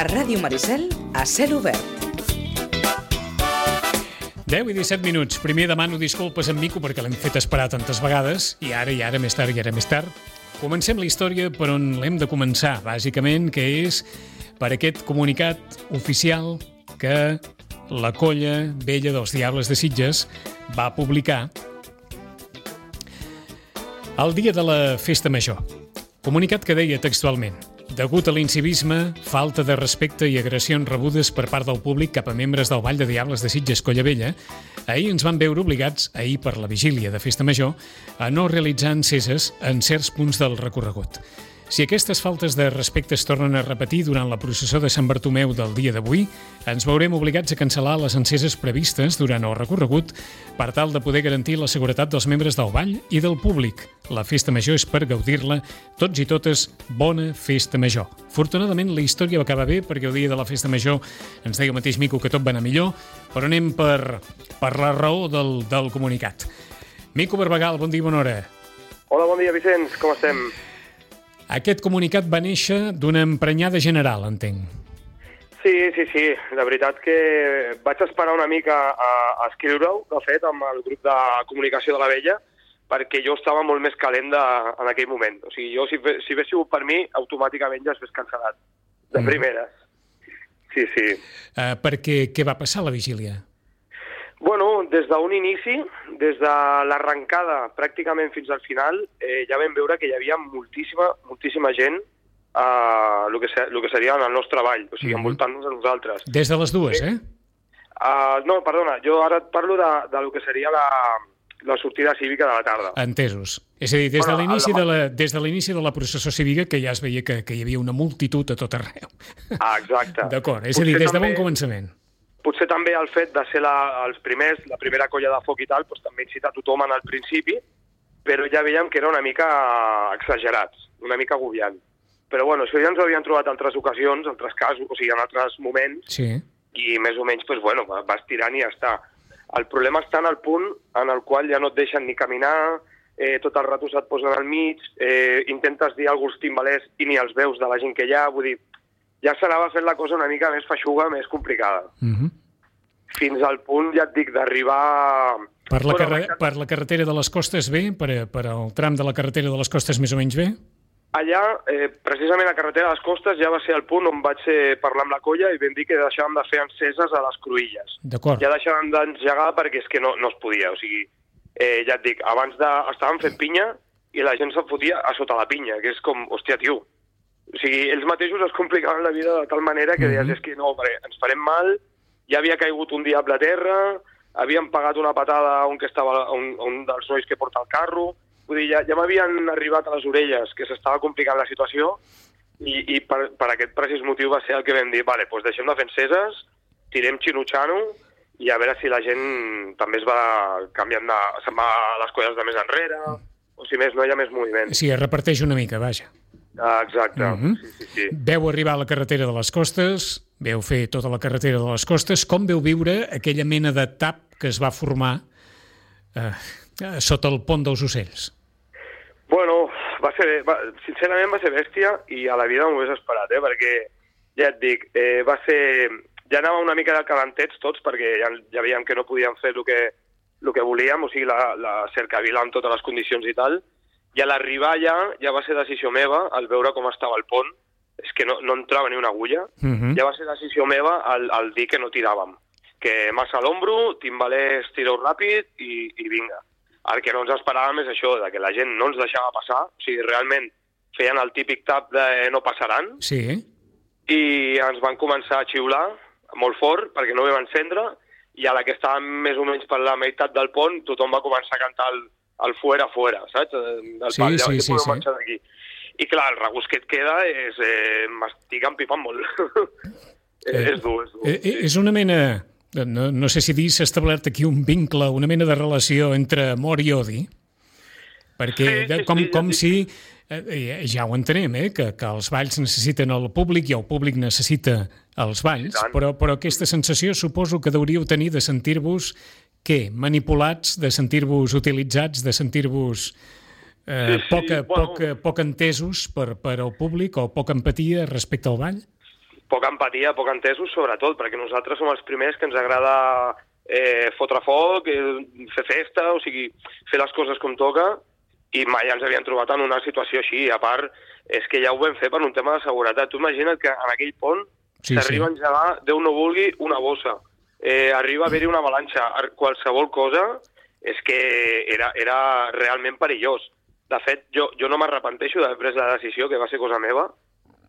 A Ràdio Maricel, a cel obert. 10 i 17 minuts. Primer demano disculpes a en Mico perquè l'hem fet esperar tantes vegades i ara, més tard. Comencem la història per on l'hem de començar, bàsicament, que és per aquest comunicat oficial que la Colla Vella dels Diables de Sitges va publicar el dia de la Festa Major. Comunicat que deia textualment: degut a l'incivisme, falta de respecte i agressions rebudes per part del públic cap a membres del Ball de Diables de Sitges Colla Vella, ahir ens van veure obligats, ahir per la vigília de Festa Major, a no realitzar enceses en certs punts del recorregut. Si aquestes faltes de respecte es tornen a repetir durant la processó de Sant Bartomeu del dia d'avui, ens veurem obligats a cancel·lar les enceses previstes durant el recorregut per tal de poder garantir la seguretat dels membres del ball i del públic. La Festa Major és per gaudir-la tots i totes. Bona Festa Major. Afortunadament, la història va acabar bé perquè el dia de la Festa Major ens deia el mateix Mico que tot va anar millor, però anem per la raó del comunicat. Mico Barbagal, bon dia i bona hora. Hola, bon dia, Vicenç, com estem? Aquest comunicat va néixer d'una emprenyada general, entenc. Sí. La veritat que vaig esperar una mica a escriure-ho, de fet, amb el grup de comunicació de la Vella, perquè jo estava molt més calent en aquell moment. O sigui, jo, si hagués sigut per mi, automàticament ja s'hagués cancel·lat, de primeres. Sí. Perquè què va passar a la vigília? Bueno, des d'un inici, des de l'arrencada pràcticament fins al final, ja vam veure que hi havia moltíssima gent el que seria en el nostre ball, o sigui, envoltant-nos a nosaltres. Des de les dues, No, perdona, jo ara et parlo de lo que seria la sortida cívica de la tarda. Entesos. És a dir, des de l'inici de la processó cívica, que ja es veia que hi havia una multitud a tot arreu. Exacte. D'acord, és a dir, des de bon començament. Potser també el fet de ser els primers, la primera colla de foc i tal, doncs també incita tothom en el principi, però ja veiem que era una mica exagerats, una mica agobiant. Però bueno, això ja ens ho havien trobat altres ocasions, altres casos, o sigui, en altres moments, sí. I més o menys, doncs, bueno, vas tirant i ja està. El problema està en el punt en el qual ja no et deixen ni caminar, tot el rato se't posen al mig, intentes dir alguns timbalers i ni els veus de la gent que hi ha, vull dir, ja s'anava fent la cosa una mica més feixuga, més complicada. Fins al punt, ja et dic, d'arribar... Per la carretera de les Costes bé? Per al tram de la carretera de les Costes més o menys bé? Allà, precisament a la carretera de les Costes, ja va ser el punt on vaig parlar amb la colla i vam dir que deixàvem de fer enceses a les cruïlles. D'acord. Ja deixàvem d'engegar perquè és que no es podia. O sigui, ja et dic, abans estàvem fent pinya i la gent se'n fotia a sota la pinya, que és com, hòstia, tio. O sigui, ells mateixos es complicaven la vida de tal manera que deies, és que no, ens farem mal, ja havia caigut un diable a terra, havien pagat una patada a un dels nois que porta el carro, vull dir, ja m'havien arribat a les orelles que s'estava complicant la situació i per aquest precís motiu va ser el que vam dir, vale, doncs deixem de fer enceses, tirem xinutxano i a veure si la gent també es va canviant, se'n va a les colles de més enrere, o si més no hi ha més moviment. Sí, es reparteix una mica, vaja. Exacte. Sí. Veu arribar a la carretera de les Costes, veu fer tota la carretera de les Costes. Com veu viure aquella mena de tap que es va formar sota el pont dels Ocells? Bueno, sincerament va ser bèstia i a la vida m'ho hagués esperat, perquè ja et dic, ja anava una mica de calentets tots perquè ja veiem que no podíem fer el que volíem, o sigui, la cercavila amb totes les condicions i tal. I a l'arribar ja va ser decisió meva, al veure com estava el pont, és que no entrava ni una agulla, ja va ser decisió meva al dir que no tiràvem. Que massa a l'ombro, timbalers, tireu ràpid i vinga. El que no ens esperàvem és això, que la gent no ens deixava passar, o sigui, realment feien el típic tap de no passaran, sí. I ens van començar a xiular molt fort perquè no vam encendre, i a la que estàvem més o menys per la meitat del pont, tothom va començar a cantar el fuera, saps? Sí. Marxar d'aquí. I clar, el regust que et queda és... m'estic empipant molt. És dur. És una mena... No sé si dir s'ha establert aquí un vincle, una mena de relació entre amor i odi, perquè com si... Ja ho entenem, que els balls necessiten el públic i el públic necessita els balls, però aquesta sensació suposo que deuríeu tenir de sentir-vos què? Manipulats, de sentir-vos utilitzats, de sentir-vos poc entesos per al públic o poca empatia respecte al ball? poca empatia, poc entesos, sobretot, perquè nosaltres som els primers que ens agrada fotre foc, fer festa, o sigui, fer les coses com toca, i mai ens havien trobat en una situació així. A part, és que ja ho vam fer per un tema de seguretat. Tu imagina't que en aquell pont s'arriba a engegar, Déu no vulgui, una bossa. Arriba a haver-hi una avalanxa. Qualsevol cosa és que era realment perillós. De fet, jo no m'arrepenteixo d'haver pres la decisió, que va ser cosa meva,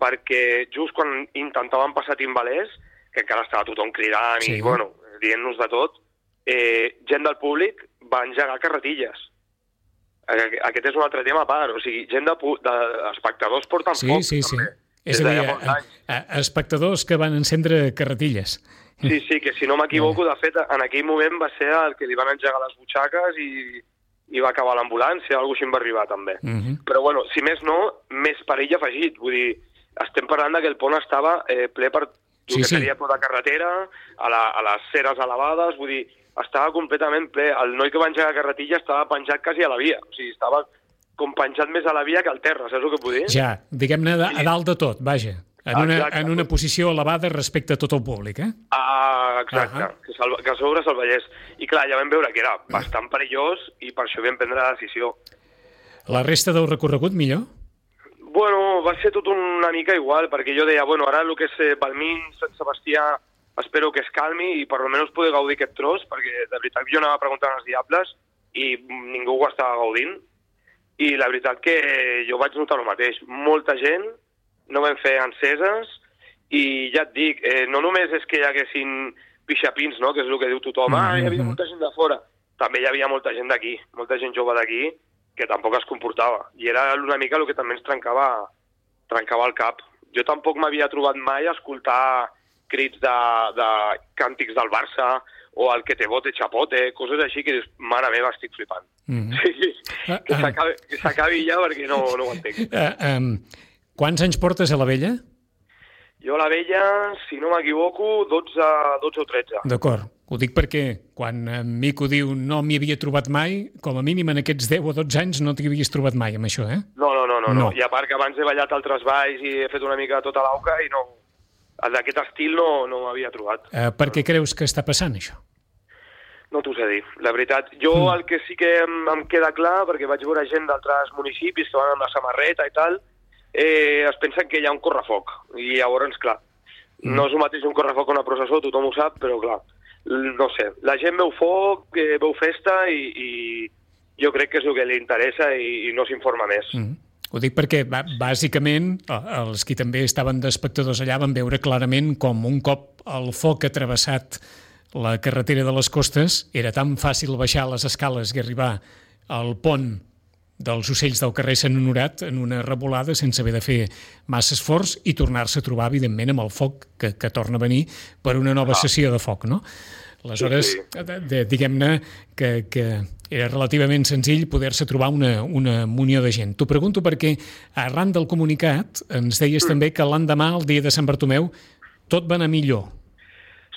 perquè just quan intentaven passar timbalers, que encara estava tothom cridant i, bueno, dient-nos de tot, gent del públic va engegar carretilles. Aquest és un altre tema a part. O sigui, gent d'espectadors porten foc. Sí. És a dir, espectadors que van encendre carretilles. Sí, que si no m'equivoco, de fet, en aquell moment va ser el que li van engegar les butxaques i va acabar l'ambulància, alguna cosa així em va arribar també. Però, bueno, si més no, més perill afegit. Vull dir, estem parlant que el pont estava ple per el que seria tota carretera, a les ceres elevades, vull dir, estava completament ple. El noi que va engegar carretilla estava penjat quasi a la via. O sigui, estava com penjat més a la via que al terra, saps el que vull dir? Ja, diguem-ne a dalt de tot, vaja. En una posició elevada respecte a tot el públic, Exacte, que a sobre se'l veiés. I clar, ja vam veure que era bastant perillós i per això vam prendre la decisió. La resta del recorregut, millor? Bueno, va ser tot una mica igual, perquè jo deia, bueno, ara el que és Balmín, Sant Sebastià, espero que es calmi i per almenys poder gaudir aquest tros, perquè de veritat jo anava preguntant als diables i ningú ho estava gaudint. I la veritat que jo vaig notar el mateix. Molta gent, no vam fer enceses, i ja et dic, no només és que hi haguessin pixapins, no?, que és el que diu tothom, hi havia molta gent de fora. També hi havia molta gent d'aquí, molta gent jove d'aquí, que tampoc es comportava. I era una mica el que també ens trencava el cap. Jo tampoc m'havia trobat mai a escoltar crits de càntics del Barça o el que te bote chapote, coses així que dius, mare meva, estic flipant. Sí, que s'acabi ja perquè no ho entenc. Quants anys portes a la Vella? Jo a la Vella, si no m'equivoco, 12 o 13. D'acord. Ho dic perquè quan en Mico diu no m'hi havia trobat mai, com a mínim en aquests 10 o 12 anys no t'hi havies trobat mai amb això, No. I a part que abans he ballat altres balls i he fet una mica tota l'auca i no... D'aquest estil no m'havia trobat. Per què creus que està passant, això? No t'ho sé dir, la veritat. Jo el que sí que em queda clar, perquè vaig veure gent d'altres municipis que van amb la samarreta i tal, es pensen que hi ha un correfoc. I llavors, clar, no és el mateix un correfoc que una processó, tothom ho sap, però clar, no sé. La gent veu foc, veu festa i jo crec que és el que li interessa i no s'informa més. Ho dic perquè, bàsicament, els qui també estaven d'espectadors allà van veure clarament com un cop el foc ha travessat la carretera de les Costes era tan fàcil baixar les escales i arribar al pont dels Ocells del carrer Sant Honorat en una revolada sense haver de fer massa esforç i tornar-se a trobar, evidentment, amb el foc que torna a venir per una nova sessió de foc, no? Aleshores, diguem-ne que era relativament senzill poder-se trobar una munió de gent. T'ho pregunto perquè, arran del comunicat, ens deies també que l'endemà, el dia de Sant Bartomeu, tot va anar millor.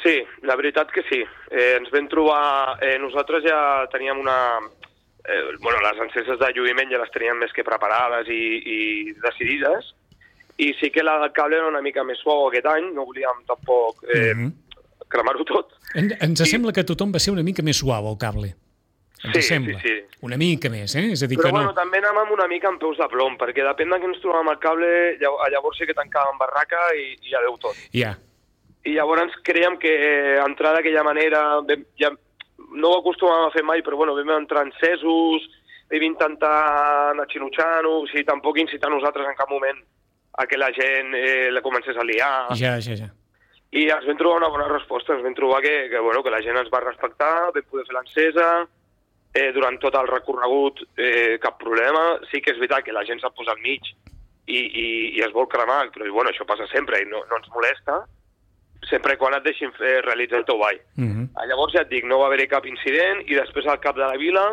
Sí, la veritat que sí. Ens vam trobar... nosaltres ja teníem les enceses de lluïment ja les teníem més que preparades i decidides, i sí que l'alcalde era una mica més suau aquest any, no volíem tampoc cremar-ho tot. Ens sembla que tothom va ser una mica més suau, el cable. Ens sembla. Sí. Una mica més, És a dir, però que no... també anàvem una mica amb peus de plom, perquè depèn de que ens trobàvem al cable, llavors sí que tancàvem barraca i ja deu tot. Ja. I llavors creiem que entrar d'aquella manera, ja no ho acostumàvem a fer mai, però bueno, vam entrar encesos, vam intentar anar xinutxant-ho, o sigui, tampoc incitar nosaltres en cap moment a que la gent la comencés a liar. Ja. I ens vam trobar una bona resposta, ens vam trobar que la gent ens va respectar, vam poder fer l'encesa, durant tot el recorregut cap problema. Sí que és veritat que la gent s'ha posat al mig i es vol cremar, però bueno, això passa sempre i no ens molesta, sempre quan et deixin realitzar el teu ball. Llavors ja et dic, no va haver-hi cap incident i després al cap de la vila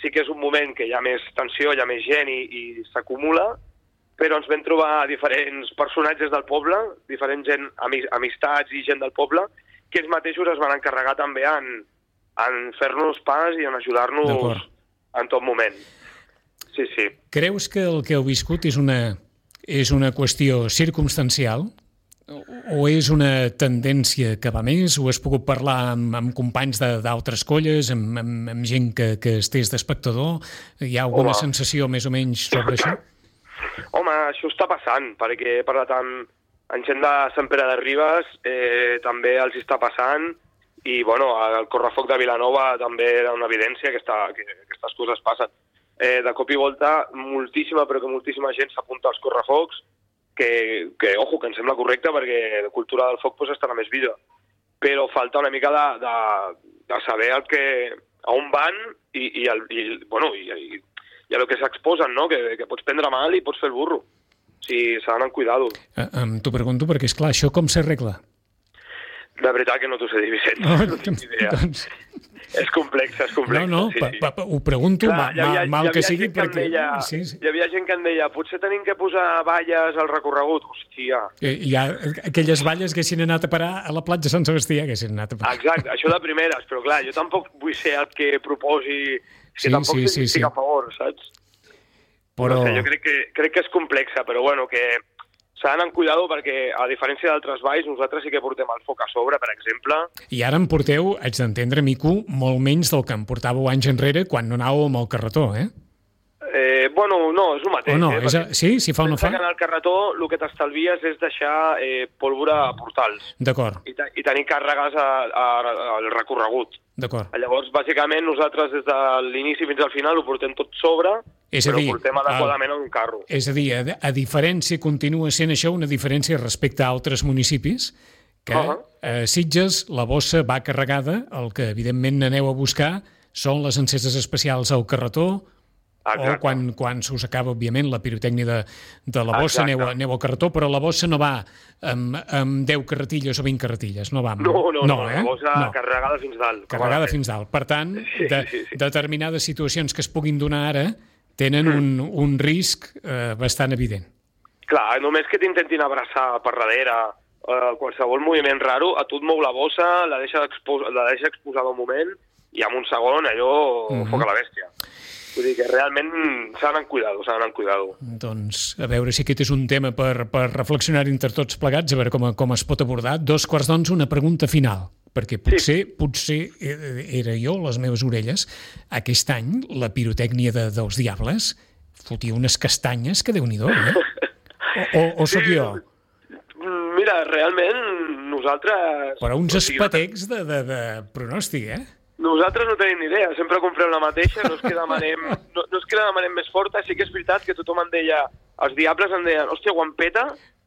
sí que és un moment que hi ha més tensió, hi ha més gent i s'acumula, però ens vam trobar diferents personatges del poble, diferent gent, amistats i gent del poble, que ells mateixos es van encarregar també en fer-nos pas i en ajudar-nos en tot moment. Sí. Creus que el que heu viscut és una qüestió circumstancial? O és una tendència que va més? O has pogut parlar amb companys d'altres colles, amb gent que estés d'espectador? Hi ha alguna sensació més o menys sobre això? Home, això està passant, perquè he parlat amb gent de Sant Pere de Ribes, també els està passant, i bueno, el correfoc de Vilanova també era una evidència que aquestes coses passen. De cop i volta, moltíssima gent s'apunta als correfocs, que ojo, que em sembla correcte perquè la cultura del foc pues, estarà més viva. Però falta una mica de saber a on van i a lo que s'exposen, no? Que pots prendre mal i pots fer el burro. O sigui, s'ha d'anar amb cuidado. T'ho pregunto perquè, esclar, això com s'arregla? De veritat que no t'ho sé dir, Vicent. No tinc idea. Doncs... És complex. No, sí. Ho pregunto, clar, mal que sigui, perquè... Hi havia gent que em deia, potser tenim que posar valles al recorregut. Hòstia. Aquelles valles que haguessin anat a parar a la platja Sant Sebastià, que haguessin anat a parar. Exacte, això de primeres, però clar, jo tampoc vull ser el que proposi... tampoc estic a favor, saps? Però... No sé, jo crec que és complexa, però bueno, que... s'ha d'anar amb cuidado perquè, a diferència d'altres valls, nosaltres sí que portem el foc a sobre, per exemple. I ara em porteu, haig d'entendre, Mico, molt menys del que em portàveu anys enrere quan no anàveu amb el carretó, eh? Bueno, no, és el mateix. O no? Sí, si fa o no fa? En el carretó el que t'estalvies és deixar pólvora a portals. D'acord. I tenir càrregues al recorregut. D'acord. Llavors, bàsicament, nosaltres des de l'inici fins al final ho portem tot sobre, però ho portem adequadament en un carro. És a dir, a diferència, continua sent això una diferència respecte a altres municipis, que a Sitges la bossa va carregada, el que evidentment aneu a buscar són les enceses especials al carretó. Exacte. O quan s'us acaba, òbviament, la pirotècnia de la bossa, aneu al carretó, però la bossa no va amb 10 carretilles o 20 carretilles, no va amb... No, la bossa carregada fins dalt. Carregada fins dalt. Per tant, determinades situacions que es puguin donar ara tenen un risc bastant evident. Clar, només que t'intentin abraçar per darrere qualsevol moviment raro, a tu et mou la bossa, la deixa exposada un moment i en un segon allò foc a la bèstia. Vull dir que realment s'ha d'anar amb cuidado. Doncs a veure si aquest és un tema per reflexionar entre tots plegats, a veure com es pot abordar. 2:15, una pregunta final, perquè potser era jo, les meves orelles, aquest any la pirotècnia dels Diables fotia unes castanyes que Déu-n'hi-do, eh? O sóc jo? Mira, realment nosaltres... Però uns espetecs de pronòstic, eh? Nosaltres no tenim ni idea, sempre comprem la mateixa, no és que demanem més forta, sí que és veritat que tothom em deia, els Diables em deien, hòstia, quan peta,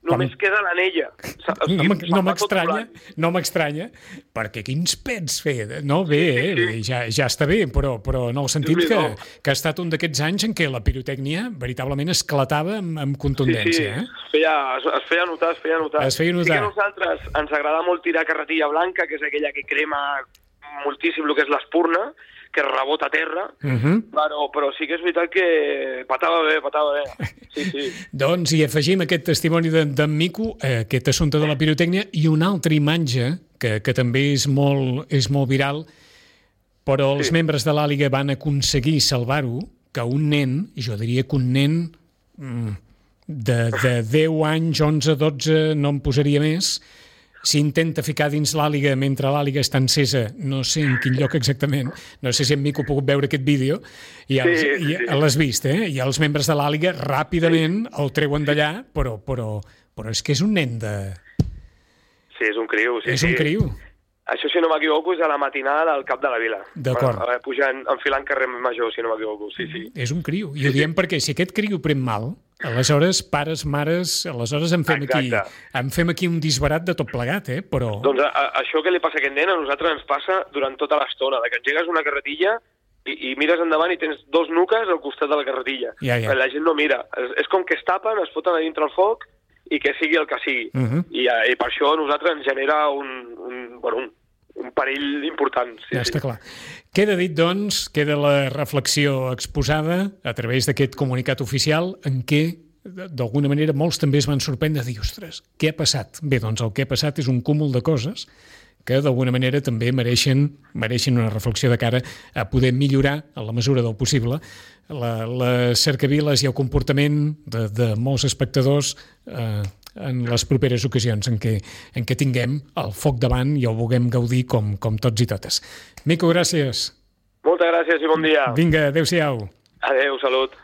només queda l'anella. No m'estranya, perquè quins pets fer. No, bé, ja està bé, però en el sentit que ha estat un d'aquests anys en què la pirotècnia veritablement esclatava amb contundència. Sí, es feia notar. Sí que a nosaltres ens agrada molt tirar carretilla blanca, que és aquella que crema moltíssim el que és l'espurna, que rebota a terra, però sí que és veritat que patava bé. Sí. Doncs hi afegim aquest testimoni d'en Mico, aquest assumpte de la pirotècnia, i una altra imatge que també és molt viral, però els membres de l'Àliga van aconseguir salvar-ho, que un nen, jo diria que un nen de 10 anys, 11, 12, no em posaria més, s'intenta ficar dins l'Àliga mentre l'Àliga està encesa, no sé en quin lloc exactament, no sé si en Mico ha pogut veure aquest vídeo, i l'has vist, i els membres de l'Àliga ràpidament el treuen d'allà, però és que és un nen de... Sí, és un criu. És un criu. Això, si no m'equivoco, és a la matinada del cap de la vila. D'acord. Pujant, enfilant carrer Major, si no m'equivoco, sí. És un criu, i ho diem perquè si aquest criu pren mal, aleshores, pares, mares, aleshores em fem aquí un disbarat de tot plegat, però... Doncs això que li passa a aquest nen a nosaltres ens passa durant tota l'estona, que engegues una carretilla i mires endavant i tens 2 nuques al costat de la carretilla. Ja. La gent no mira. És com que es tapen, es foten a dintre el foc i que sigui el que sigui. I per això a nosaltres ens genera un perill important. Ja està clar. Queda dit, doncs, queda la reflexió exposada a través d'aquest comunicat oficial en què, d'alguna manera, molts també es van sorprendre de dir, ostres, què ha passat? Bé, doncs el que ha passat és un cúmul de coses que d'alguna manera també mereixen una reflexió de cara a poder millorar, en la mesura del possible, les cercaviles i el comportament de molts espectadors en les properes ocasions en què tinguem el foc davant i ho vulguem gaudir com tots i totes. Mico, gràcies. Moltes gràcies i bon dia. Vinga, adéu-siau. Adéu, salut.